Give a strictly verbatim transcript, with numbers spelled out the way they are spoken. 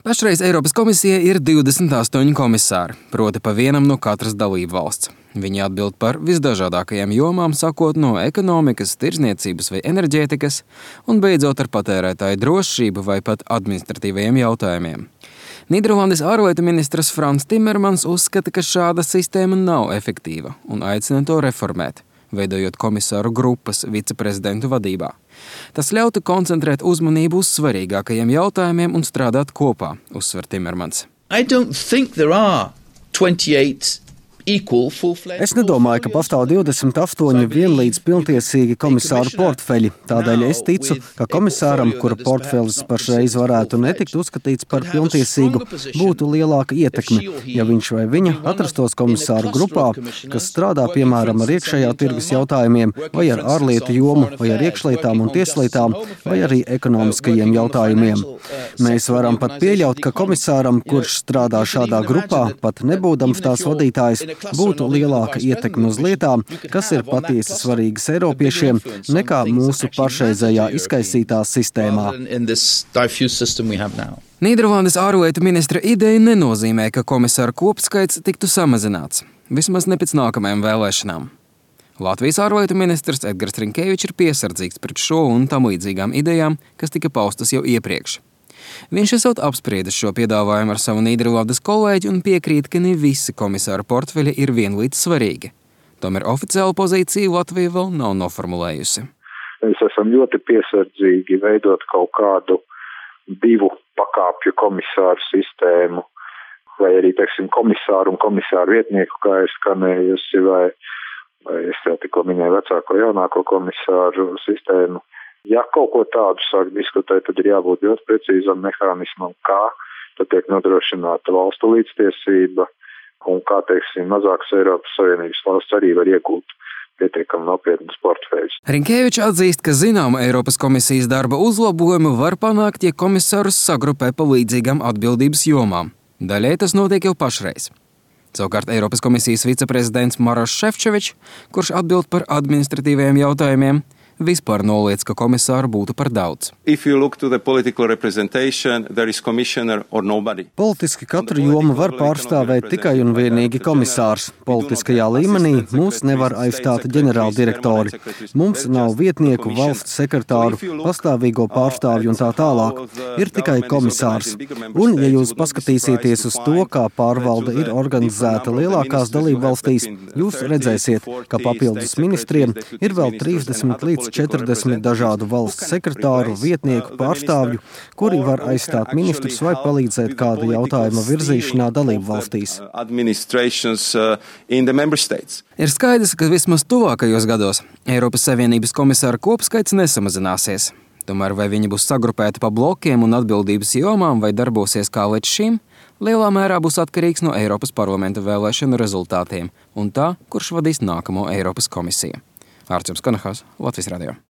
Pašreiz Eiropas komisijai ir divdesmit astoņi komisāri, proti pa vienam no katras dalību valsts. Viņi atbild par visdažādākajām jomām, sākot no ekonomikas, tirdzniecības vai enerģētikas, un beidzot ar patērētāju drošību vai pat administratīvajiem jautājumiem. Nīderlandes ārlietu ministrs Frans Timmermans uzskata, ka šāda sistēma nav efektīva un aicina to reformēt, veidojot komisāru grupas viceprezidentu vadībā. Tas ļautu koncentrēt uzmanību uz svarīgākajiem jautājumiem un strādāt kopā, uzsver Timmermans. I don't think there are twenty-eight equal full-fledged. Es nedomāju, ka pastāv divdesmit astoņi vienlīdz pilntiesīgi komisāru portfeļi. Tādēļ es ticu, ka komisāram, kura portfelis pašreiz varētu netikt uzskatīts par pilntiesīgu, būtu lielāka ietekme, ja viņš vai viņa atrastos komisāru grupā, kas strādā piemēram ar iekšējā tirgus jautājumiem, vai ar ārlietu jomu, vai ar iekšlietām un tieslietām, vai arī ekonomiskajiem jautājumiem. Mēs varam pat pieļaut, ka komisāram, kurš strādā šādā grupā, pat nebūdams tās vadītājs, būtu lielāka ietekme uz lietām, kas ir patiesi svarīgas Eiropiešiem, nekā mūsu pašreizējā izkaisītā sistēmā. Nīderlandes ārlietu ministra ideja nenozīmē, ka komisāru kopskaits tiktu samazināts, vismaz ne pēc nākamajām vēlēšanām. Latvijas ārlietu ministrs Edgars Rinkēvičs ir piesardzīgs pret šo un tam līdzīgām idejām, kas tika paustas jau iepriekš. Viņš esot apspriedis šo piedāvājumu ar savu Nīderlandes kolēģi un piekrīt, ka ne visi komisāru portfeļi ir vienlīdz svarīgi. Tomēr oficiālu pozīciju Latvija vēl nav noformulējusi. Mēs esam ļoti piesardzīgi veidot kaut kādu divu pakāpju komisāru sistēmu, vai arī, teiksim, komisāru un komisāru vietnieku, kā ir skanējusi, vai, vai es jau tikko minēju vecāko jaunāko komisāru sistēmu. Ja kaut ko tādu sāk diskutēt, tad ir jābūt ļoti precīzam mehānismam, kā tad tiek nodrošināta valstu līdztiesība un kā, teiksim, mazākas Eiropas Savienības valsts arī var iegūt pietiekami nopietnas portfeļus. Rinkēvičs atzīst, ka zināma Eiropas komisijas darba uzlabojumu var panākt, ja komisārus sagrupē pa līdzīgām atbildības jomām. Daļai tas notiek jau pašreiz. Savukārt Eiropas komisijas viceprezidents Maroš Šefčovičs, kurš atbild par administratīvajiem jautājumiem, vispār noliec, ka komisāru būtu par daudz. Politiski katru jomu var pārstāvēt tikai un vienīgi komisārs. Politiskajā līmenī mūs nevar aizstāt ģenerāldirektori. Mums nav vietnieku, valsts sekretāru, pastāvīgo pārstāvju un tā tālāk. Ir tikai komisārs. Un, ja jūs paskatīsieties uz to, kā pārvalde ir organizēta lielākās dalībvalstīs, jūs redzēsiet, ka papildus ministriem ir vēl trīsdesmit līdz četrdesmit dažādu valsts sekretāru, vietnieku, pārstāvju, kuri var aizstāt ministrus vai palīdzēt kāda jautājuma virzīšanā dalību valstīs. Ir skaidrs, ka vismaz tuvākajos gados Eiropas Savienības komisāru kopskaits nesamazināsies. Tomēr vai viņi būs sagrupēti pa blokiem un atbildības jomām vai darbosies kā līdz šim, lielā mērā būs atkarīgs no Eiropas parlamenta vēlēšanu rezultātiem un tā, kurš vadīs nākamo Eiropas komisiju. Ārčuns Kanahās, Latvijas radio.